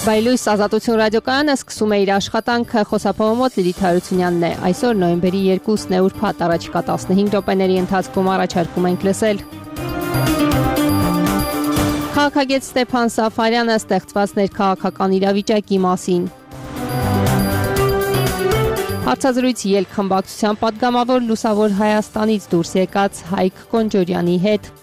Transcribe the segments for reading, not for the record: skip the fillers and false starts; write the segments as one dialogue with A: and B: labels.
A: Բայլույս ազատություն ռադիոկայանը սկսում է իր աշխատանքը, խոսափողը մոտ Լիլիթ Հարությունյանն է։ Այսօր նոյեմբերի 2-ն է ուրբաթ, առաջիկա 15 րոպեների ընթացքում առաջարկում ենք լսել։ Քաղաքագետ Ստեփան Սաֆարյանը ստեղծված ներքաղաքական իրավիճակի մասին։ Հարցազրույց ելք խմբակցության պատգամավոր Լուսավոր Հայաստանից դուրս եկած Հայկ Կոնջորյանի հետ։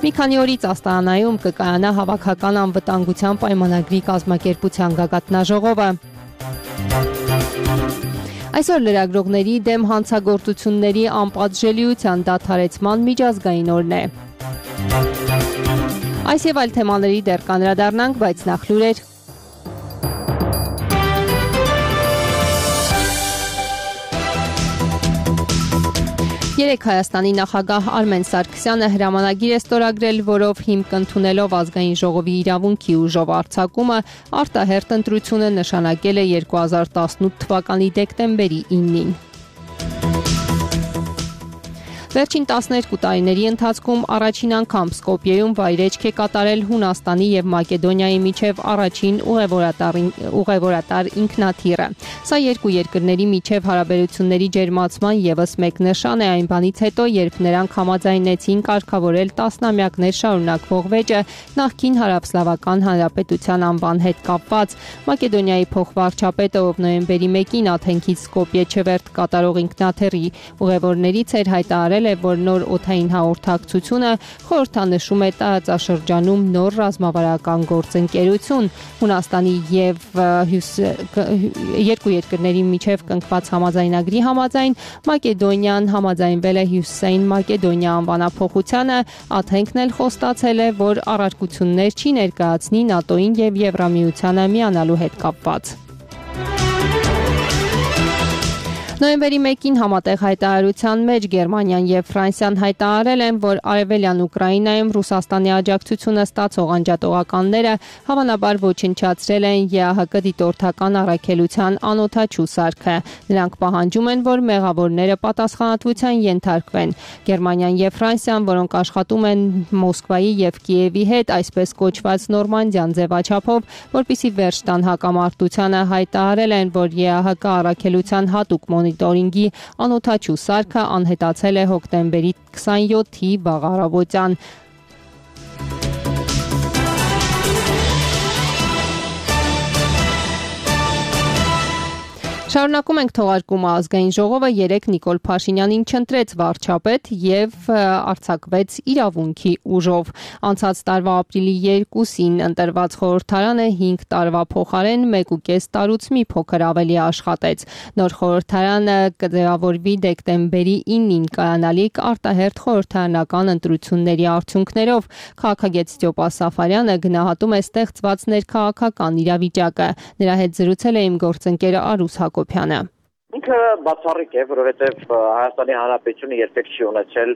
A: Մի քանի օրից Աստարանայում կկայանա հավաքական անվտանգության պայմանագրի կազմակերպության գագաթնաժողովը։ Այսօր լրագրողների դեմ հանցագործությունների անպատժելիության դադարեցման միջազգային օրն է։ Այս եւ այլ թեմաների դեռ կանդրադառնանք, բայց նախ լուրեր։ Երեկ Հայաստանի նախագահ Արմեն Սարգսյանը հրամանագիր է ստորագրել, որով հիմք ընդունելով ազգային ժողովի իրավունքի ուժով արձակումը, արտահերթ ընտրությունը նշանակել է 2018 թվականի դեկտեմբերի 9-ին։ Վերջին 12 տարիների ընթացքում առաջին անգամ Սկոպիեում վայրէջք է կատարել Հունաստանի եւ Մակեդոնիայի միջև առաջին ուղևորատար ինքնաթիռը։ Սա երկու երկրների միջև հարաբերությունների ջերմացման եւս մեկ նշան է այն բանից հետո, երբ նրանք համաձայնեցին կարգավորել տասնամյակներ շարունակվող վեճը նախկին Հարավսլավական Հանրապետության անվան հետ կապված։ Մակեդոնիայի փոխվարչապետը, ով նոյեմբերի 1-ին Աթենքից Սկոպիե չվերթ կատարող ինքնաթիռի ուղևորներից էր հայտարարել, որ նոր օդային հաղորդակցությունը խորհրդանշում է տարածաշրջանում նոր ռազմավարական գործընկերություն։ Հունաստանի եւ երկու երկրների միջև կնքված համաձայնագրի համաձայն Մակեդոնիան համաձայնվել է Հյուսիսային Մակեդոնիա անվանափոխությանը, Աթենքն էլ խոստացել է, որ առարկություններ չի ներկայացնի ՆԱՏՕ-ին եւ Եվրամիությանը միանալու հետ կապված։ Նոյեմբերի 1-ին համատեղ հայտարարության մեջ Գերմանիան եւ Ֆրանսիան հայտարարել են, որ արևելյան Ուկրաինայում Ռուսաստանի աջակցությունը ստացող անջատողականները հավանաբար ոչնչացրել են ԵԱՀԿ դիտորդական առաքելության անօդաչու սարքը։ Նրանք պահանջում են, որ մեղավորները պատասխանատվության ենթարկվեն։ Գերմանիան եւ Ֆրանսիան, որոնք աշխատում են Մոսկվայի եւ Կիևի հետ, այսպես կոչված Նորմանդիան ձևաչափով, որպիսի վերջ տան հակամարտությանը, հայտարարել են, որ ԵԱՀԿ առաքելության հատուկ մոնիտորինգի անօդաչու սարքը անհետացել է հոկտեմբերի 27-ի վաղ առավոտյան։ Շարունակում ենք թողարկումը։ Ազգային ժողովը երեկ Նիկոլ Փաշինյանին չընտրեց վարչապետ եւ արձակվեց իրավունքի ուժով։ Անցած տարվա ապրիլի 2-ին ընտրված խորհրդարանը 5 տարվա փոխարեն 1.5 տարուց մի փոքր ավելի աշխատեց։ Նոր խորհրդարանը կդրավորվի դեկտեմբերի 9-ին կայանալիք արտահերթ խորհրդարանական ընտրությունների արդյունքներով։ Քաղաքագետ Ստեփան Սաֆարյանը գնահատում է ստեղծված ներքաղաքական իրավիճակը։ Նրա հետ զրուցել է իմ գործընկեր Արուս Հակոբյանը։
B: Ինքը բացառիկ է, որովհետև Հայաստանի Հանրապետությունը երբեք չի ունեցել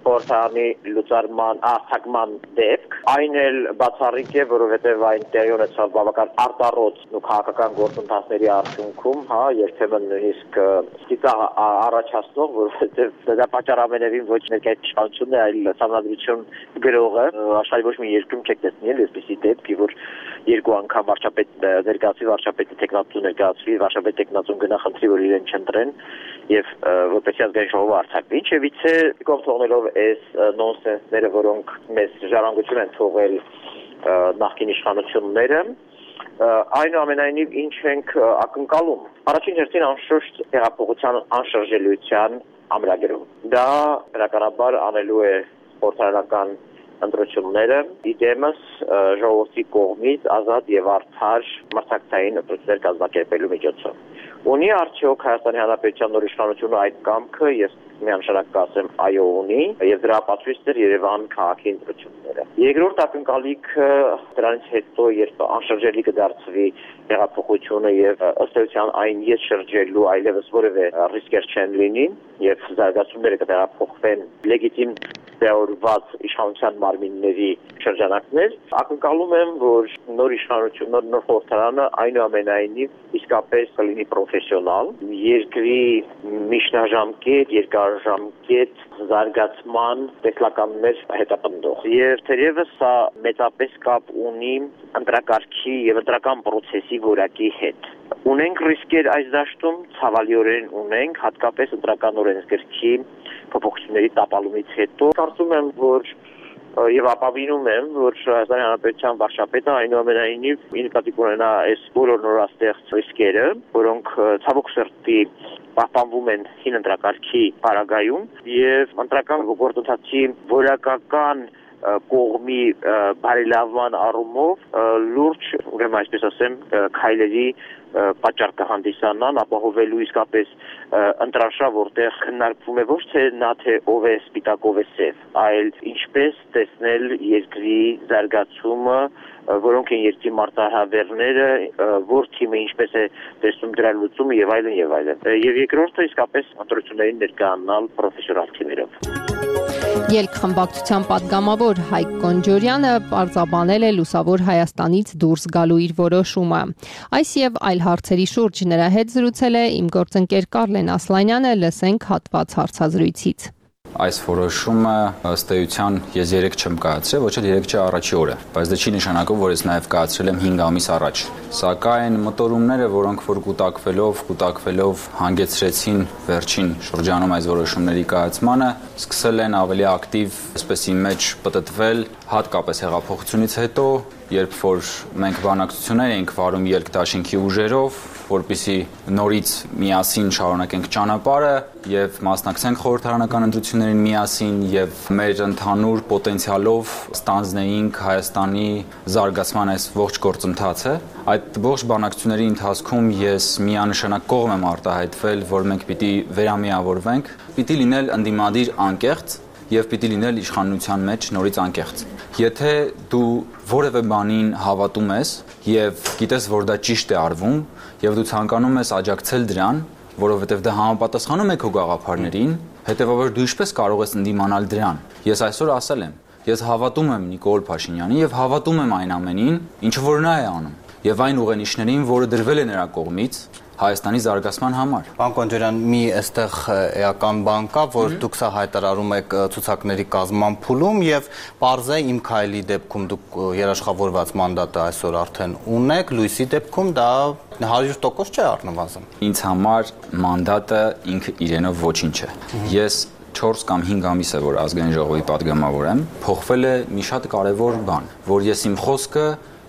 B: խորհրդարանի լուծարման արձակման դեպք։ Այն էլ բացառիկ է, որովհետև այն տեղի ունեցավ բավական արտառոց ու քաղաքական գործընթացների արդյունքում, երբեմն նույնիսկ ստիպ առաջացնող, որովհետև դա պատճառ ամենևին ոչ ներկայացությունն է, այլ համանդրություն գրողը աշխարհի ոչ մի երկրում չեք տեսնել այսպիսի դեպքի, որ երկու անգամ վարչապետ ներկայացվի, վարչապետը տեխնատու ներկայացվի, վարչապետ տեխնատուն գնա խնդրի, որ իրեն չընտրեն եւ որպեսզի ազգային ժողովը արձակվի։ Ինչևիցե կողմ թողնելով այս նոնսենսները, որոնք մեզ ժառանգություն են թողել նախկին իշխանությունները, այնուամենայնիվ ինչ ենք ակնկալում։ Առաջին հերթին անշուշտ հեղափոխության անշրջելիության ամրագրում։ Դա բնականաբար անելու է խորհրդարանական ընտրությունները իդեմս ժողովրդի կողմից ազատ եւ արդար մրցակցային ընտրություններ կազմակերպելու միջոցով։ Ունի արդյոք Հայաստանի Հանրապետության նոր իշխանությունը այդ կամքը, ես միանշանակ կասեմ այո ունի, եւ դրա ապացույցներ Երևան քաղաքի ընտրությունները։ Երկրորդ ակնկալիքը դրանից հետո, երբ անշրջելի կդարձվի հեղափոխությունը եւ ըստ էության այն ես շրջելու այլևս որևէ ռիսկեր չեն լինի եւ զարգացումները կտեղափոխվեն լեգիտիմ տեղավորված իշխանության մարմինների շրջանակներ, ակնկալում եմ, որ նոր իշխանություն, նոր խորհրդարանը այնուամենայնիվ իսկապես կլինի պրոֆեսիոնալ, երկրի միջնաժամկետ, երկարաժամկետ զարգացման տեսլականներ հետապնդող։ Եվ թերևս սա մեծապես կապ ունի ընտրակարգի եւ ընտրական process-ի որակի հետ։ Ունենք ռիսկեր այս դաշտում, ցավալիորեն ունենք, հատկապես ընտրական օրենսգրքի փոփոխությունների տապալումից հետո։ Կարծում եմ, որ եւ ապավինում եմ, որ Հայաստանի Հանրապետության վարչապետը այնուամենայնիվ նկատի կունենա այս բոլոր նորաստեղծ ռիսկերը, որոնք ցավոք սրտի պահպանվում են հին ընտրակարգի պարագայում եւ ընտրական գործընթացի որակական կողմի բարելավման առումով լուրջ, ուրեմն այսպես ասեմ, քայլերի պատճառ կհանդիսանան, ապահովելու իսկապես ընտրաշա, որտեղ քննարկվում է ոչ թե ով է սպիտակ, ով է սև, այլ ինչպես տեսնել երկրի զարգացումը, որոնք են երկրի մարտահրավերները, որ թիմը ինչպես է տեսնում դրա լուծումը եւ այլն եւ այլն։ Եվ երկրորդը իսկապես ընտրություններին ներկայանալ պրոֆեսիոնալ թիմերով։
A: Ելքխմբակցության պատգամավոր Հայկ Կոնջորյանը պարզաբանել է Լուսավոր Հայաստանից դուրս գալու իր որոշումը։ Այս եւ այլ հարցերի շուրջ նրա հետ զրուցել է իմ գործընկեր Կարլեն Ասլանյանը, լսենք հատված հարցազրույցից։
C: Այս որոշումը ըստ էության ես 3 չեմ կայացրել, ոչ էլ 3 չի առաջի օրը, բայց դա չի նշանակում, որ ես նաև կայացրել եմ 5 ամիս առաջ։ Սակայն մտորումները, որոնք որ կուտակվելով հանգեցրեցին վերջին շրջանում այս որոշումների կայացմանը, սկսել են ավելի ակտիվ, այսպեսի մեջ պտտվել, հատկապես հեղափոխությունից հետո, երբ որ մենք բանակցություններ էինք վարում երկդաշինքի ուժերով, որպեսզի նորից միասին շարունակենք ճանապարհը եւ մասնակցենք խորհրդարանական ընտրություններին միասին եւ մեր ընդհանուր պոտենցիալով ստանձնեինք Հայաստանի զարգացման այս ողջ գործընթացը։ Այդ ողջ բանակցությունների ընթացքում ես միանշանակ կողմ եմ արտահայտվել, որ մենք պիտի վերամիավորվենք, պիտի լինել ընդդիմադիր անկեղծ եւ պիտի լինել իշխանության մեջ նորից անկեղծ։ Եթե դու որևէ բանին հավատում ես եւ գիտես, որ դա ճիշտ է արվում եւ դու ցանկանում ես աջակցել դրան, որովհետեւ դա համապատասխանում է քո գաղափարներին, հետեւաբար դու ինչպես կարող ես ընդդիմանալ դրան։ Ես այսօր ասել եմ, ես հավատում եմ Նիկոլ Փաշինյանին եւ հավատում եմ այն ամենին, ինչը որ նա է անում եւ այն ուղենիշներին, որը դրվել է նրա կողմից Հայաստանի զարգացման համար։
D: Պարոն Կոնջորյան, մի այստեղ էական բան կա, որ դուք սա հայտարարում եք ցուցակների կազմման փուլում եւ պարզե իմ քայլի դեպքում դուք երաշխավորված մանդատը այսօր արդեն ունեք, լույսի դեպքում դա 100% չէ առնվազն։
C: Ինձ համար մանդատը ինքը իրենով ոչինչ է։ Ես 4 կամ 5 ամիս է, որ ազգային ժողովի падգամավոր եմ, փոխվել է մի շատ կարևոր բան, որ ես իմ խոսքը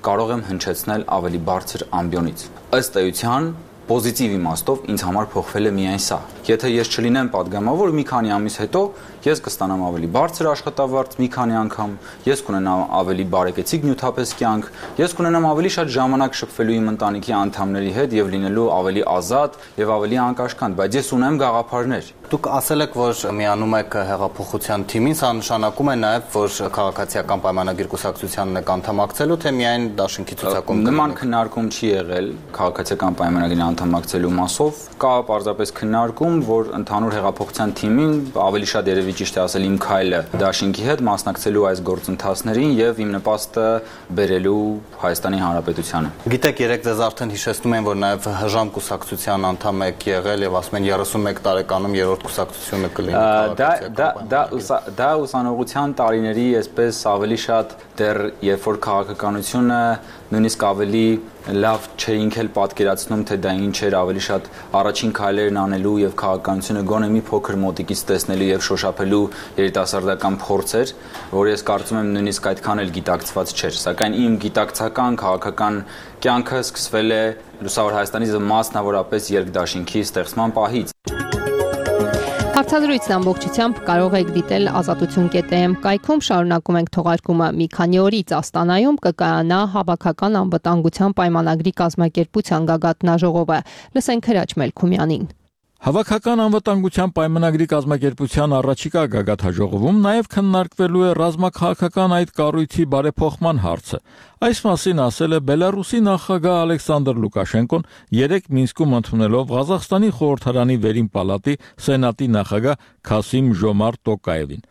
C: կարող եմ հնչեցնել ավելի բարձր ամբիոնից։ Ըստ էության Պոզիտիվ իմաստով ինձ համար փոխվել է միայն սա։ Եթե ես չլինեմ падգամավոր, մի քանի ամիս հետո ես կստանամ ավելի բարձր աշխատավարձ մի քանի անգամ, ես կունենամ ավելի բարեկեցիկ նյութապես կյանք, ես կունենամ ավելի շատ ժամանակ շփվելու իմ ընտանիքի անդամների հետ եւ լինելու ավելի ազատ եւ ավելի անկաշկանդ, բայց ես ունեմ գաղափարներ։
D: Դուք ասել եք, որ միանում եք հեղափոխության թիմին, սա նշանակում է նաեւ, որ քաղաքացիական պայմանագիր կուսակցությանն եք անդամակցելու, թե միայն դաշինքի ցուցակում։
C: Նման քննարկում չի եղել քաղաքացիական պայմանագրին անդամակցելու մասով, կա պարզապես քննարկում, որ ընդհանուր հեղափոխության թիմին ավելի շատ երևի ճիշտ է ասել իմ քայլը դաշինքի հետ մասնակցելու այս գործընթացներին եւ իմ նպաստը բերելու Հայաստանի Հանրապետությանը։
D: Գիտեք, երեք ձեզ արդեն հիշեցնում են, որ նաեւ հժամ կուսակցության անդամ եք եղել եւ ասում են 31 տարեկանում երրորդ կուսակցությունը կլինի քաղաքացիական։
C: Դա ուսանողության տարիների այսպես ավելի շատ դեռ երբ որ քաղաքականությունը նույնիսկ ավելի լավ չէինք էլ պատկերացնում, թե դա ինչ էր, ավելի շատ առաջին քայլերն անելու եւ քաղաքականությունը գոնե մի փոքր մոտիկից տեսնելու եւ շոշափելու երիտասարդական փորձ էր, որ ես կարծում եմ նույնիսկ այդքան էլ գիտակցված չէր, սակայն իմ գիտակցական քաղաքական կյանքը սկսվել է Լուսավոր Հայաստանի մասնավորապես երկդաշինքի ստեղծման պահից։
A: Հարցազրույցն ամբողջությամբ կարող եք դիտել ազատություն.am կայքում, շարունակում ենք թողարկումը մի քանի օրից Աստանայում կկայանա հավաքական անվտանգության պայմանագրի կազմակերպության գագաթնաժողովը։ Լսենք Հրաչ Մելքումյանին։
E: Հավաքական անվտանգության պայմանագրի կազմակերպության առաջիկա գագաթնաժողովում նաև քննարկվելու է ռազմաքաղաքական այդ կառույցի բարեփոխման հարցը։ Այս մասին ասել է Բելարուսի նախագահ Ալեքսանդր Լուկաշենկոն երեկ Մինսկում ընդունելով Ղազախստանի խորհրդարանի վերին պալատի սենատի նախագահ Քասիմ Ժոմարտ Տոկաևին։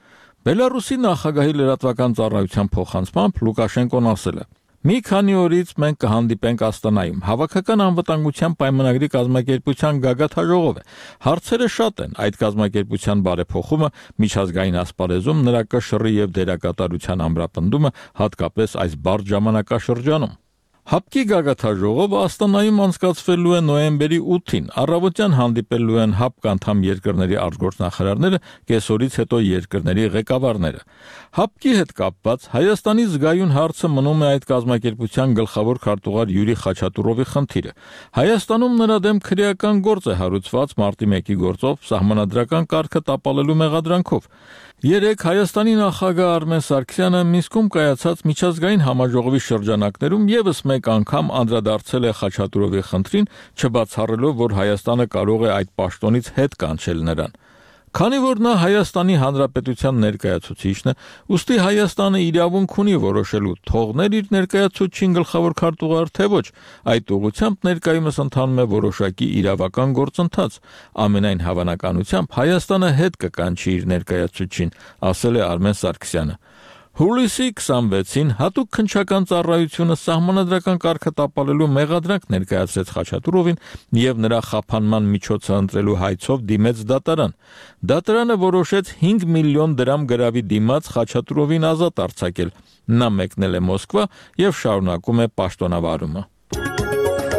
E: Բելարուսի նախագահի լրատվական ծառայության փոխանցմամբ Լուկաշենկոն ասել է. «Մի քանի օրից մենք կհանդիպենք Աստանայում։ Հավաքական անվտանգության պայմանագրի կազմակերպության գագաթաժողով է։ Հարցերը շատ են։ Այդ կազմակերպության բարեփոխումը, միջազգային ասպարեզում նրա կշռի եւ դերակատարության ամրապնդումը, հատկապես այս բարդ ժամանակաշրջանում»։ ՀԱՊԿ-ի գագաթաժողովը Աստանայում անցկացվելու է նոյեմբերի 8-ին։ Առավոտյան հանդիպելու են ՀԱՊԿ անդամ երկրների արտգործնախարարները, կեսօրից հետո երկրների ղեկավարները։ ՀԱՊԿ-ի հետ կապված Հայաստանի զգայուն հարցը մնում է այդ կազմակերպության գլխավոր քարտուղար Յուրի Խաչատուրովի խնդիրը։ Հայաստանում նրա դեմ քրեական գործ է հարուցված մարտի 1-ի գործով սահմանադրական կարգը տապալելու մեղադրանքով։ Երեկ Հայաստանի նախագահ Արմեն Սարգսյանը Մինսկում կայացած միջազգային համաժողովի շրջանակներում եւս մեկ անգամ անդրադարձել է Խաչատուրովի խնդրին, չբացառելով, որ Հայաստանը կարող է այդ պաշտոնից հետ կանչել նրան։ Քանի որ նա Հայաստանի Հանրապետության ներկայացուցիչն է, ուստի Հայաստանը իրավունք ունի որոշելու թողնել իր ներկայացուցչին գլխավոր քարտուղար թե ոչ, այդ ուղղությամբ ներկայումս ընթանում է որոշակի իրավական գործընթաց։ Ամենայն հավանականությամբ Հայաստանը հետ կկանչի իր ներկայացուցչին, ասել է Արմեն Սարգսյանը։ Հուլիսի 26-ին հատուկ քննչական ծառայությունը սահմանադրական կարգը տապալելու մեղադրանք ներկայացրեց Խաչատուրովին եւ նրա խափանման միջոցը ընտրելու հայցով դիմեց դատարան։ Դատարանը որոշեց 5 միլիոն դրամ գրավի դիմաց Խաչատուրովին ազատ արձակել։ Նա մեկնել է Մոսկվա եւ շարունակում է պաշտոնավարումը։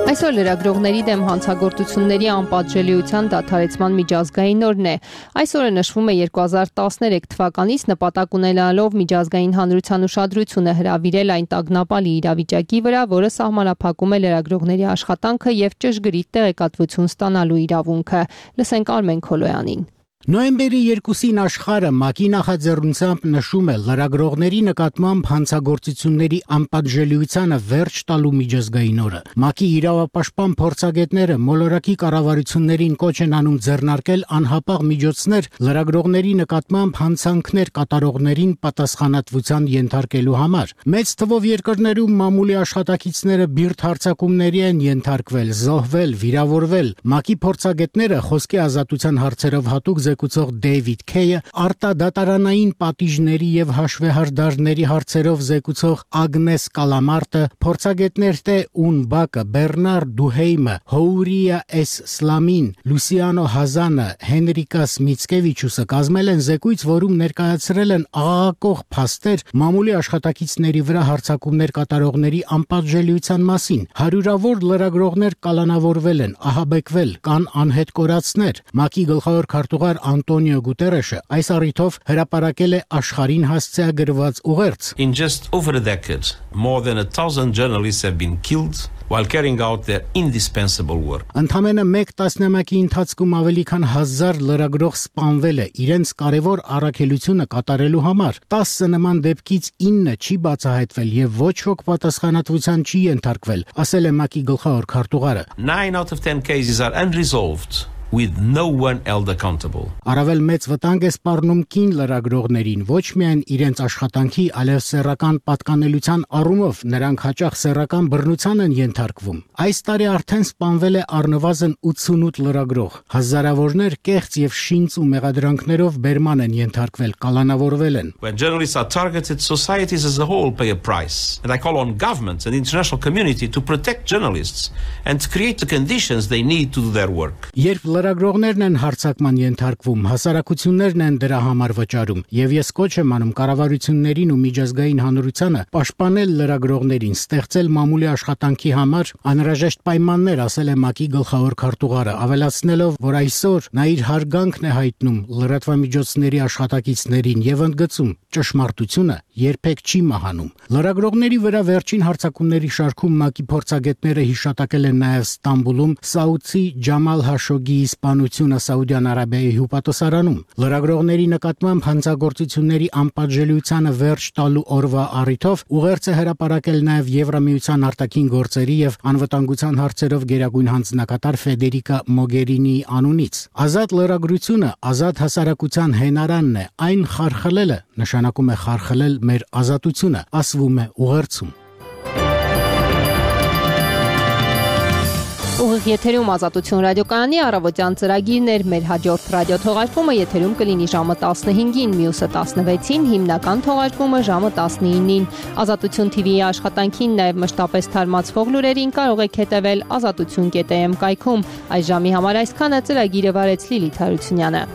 A: Այսօր լրագրողների դեմ հանցագործությունների անպատժելիության դադարեցման միջազգային օրն է։ Այսօրը նշվում է 2013 թվականից նպատակ ունենալով միջազգային հանրության ուշադրությունը հրավիրել այն տագնապալի իրավիճակի վրա, որը սահմանափակում է լրագրողների աշխատանքը եւ ճշգրիտ տեղեկատվություն ստանալու իրավունքը։ Լսենք Արմեն Քոլոյանին։
F: Նոյեմբերի 2-ին աշխարհը ՄԱԿ-ի նախաձեռնությամբ նշում է լրագրողների նկատմամբ հանցագործությունների անպատժելիությանը վերջ տալու միջազգային օրը։ ՄԱԿ-ի իրավապաշտպան փորձագետները մոլորակի կառավարություններին կոչ են անում ձեռնարկել անհապաղ միջոցներ լրագրողների նկատմամբ հանցանքներ կատարողներին պատասխանատվության ենթարկելու համար։ Մեծ թվով երկրներում մամուլի աշխատակիցները բիրտ հարձակումների են ենթարկվել, զոհվել, վիրավորվել։ ՄԱԿ-ի փորձագետները խոսքի ազատության հարցերով հատուկ զեկուցող Դեյվիդ Քեյը, արտադատարանային պատիժների եւ հաշվեհարդարների հարցերով զեկուցող Ագնես Կալամարտը, փորձագետներ թե Ունբակը, Բեռնար Դուհեյմը, Հոուրիա Էս Սլամին, Լուսիանո Հազանը, Հենրիկաս Միցկևիչուսը կազմել են զեկույց, որում ներկայացրել են աղաղակող փաստեր մամուլի աշխատակիցների վրա հարձակումներ կատարողների անպատժելիության մասին։ Հարյուրավոր լրագրողներ կալանավորվել են, ահաբեկվել, կան անհետ կորածներ։ ՄԱԿ-ի գլխավոր քարտուղար Անտոնիո Գուտերեշը այս առիթով հրապարակել է աշխարհին հասցեագրված ուղերձ։
G: In just over a decade, more than 1,000 journalists have been killed while carrying out their indispensable work.
F: Ընդամենը մեկ տասնամյակի ընթացքում ավելի քան 1000 լրագրող սպանվել է իրենց կարևոր առաքելությունը կատարելու համար։ 10 նման դեպքից 9 չի բացահայտվել եւ ոչ ոք պատասխանատվության չի ենթարկվել, ասել է ՄԱԿ-ի գլխավոր քարտուղարը։
G: 9 out of 10 cases are unresolved, with no one held accountable.
F: Առավել մեծ վտանգ է սպառնում կին լրագրողներին, ոչ միայն իրենց աշխատանքի, այլև սեռական պատկանելության առումով, նրանք հաճախ սեռական բռնության են ենթարկվում։ Այս տարի արդեն սպանվել է առնվազն 88 լրագրող։ Հազարավորներ կեղծ եւ շինծ ու մեղադրանքներով բերման են ենթարկվել, կալանավորվել են։
G: When journalists are targeted, societies as a whole pay a price. And I call on governments and the international community to protect journalists and to create the conditions they need to do their work.
F: Երբ լրագրողներն են հարձակման ենթարկվում, հասարակություններն են դրա համար վճարում, եւ ես կոչ եմ անում կառավարություններին ու միջազգային հանրությանը պաշտպանել լրագրողներին, ստեղծել մամուլի աշխատանքի համար անհրաժեշտ պայմաններ, ասել է ՄԱԿ-ի գլխավոր քարտուղարը, ավելացնելով, որ այսօր նա իր հարգանքն է հայտնում լրատվամիջոցների աշխատակիցներին եւ ընդգծում, ճշմարտությունը երբեք չի մահանում։ Լրագրողների վրա վերջին հարձակումների շարքում ՄԱԿ-ի փորձագետները հիշատակել են նաեւ Ստամբուլում Սաուդի Ջամալ Հաշոգիի սպանությունը Սաուդյան Արաբիայի հյուպատոսարանում։ Լրագրողների նկատմամբ հանցագործությունների անպատժելիությանը վերջ տալու օրվա առիթով ուղերձ է հրապարակել նաեւ Եվրամիության արտաքին գործերի եւ անվտանգության հարցերով գերագույն հանձնակատար Ֆեդերիկա Մոգերինիի անունից։ Ազատ լրագրությունը ազատ հասարակության հենարանն է, այն խարխլելը նշանակում է խարխլել մեր ազատությունը, ասվում է ուղերձում։
A: Ուղիղ եթերում Ազատություն ռադիոկայանի առավոտյան ծրագիրն էր, մեր հաջորդ ռադիոթողարկումը եթերում կլինի ժամը 15-ին, մյուսը 16-ին, հիմնական թողարկումը ժամը 19-ին։ Ազատություն TV-ի աշխատանքին նաև մշտապես թարմացվող լուրերին կարող եք հետևել azatutun.am կայքում։ Այս ժամի համար այսքանը, ծրագիրը վարեց Լիլիթ Հարությունյանը։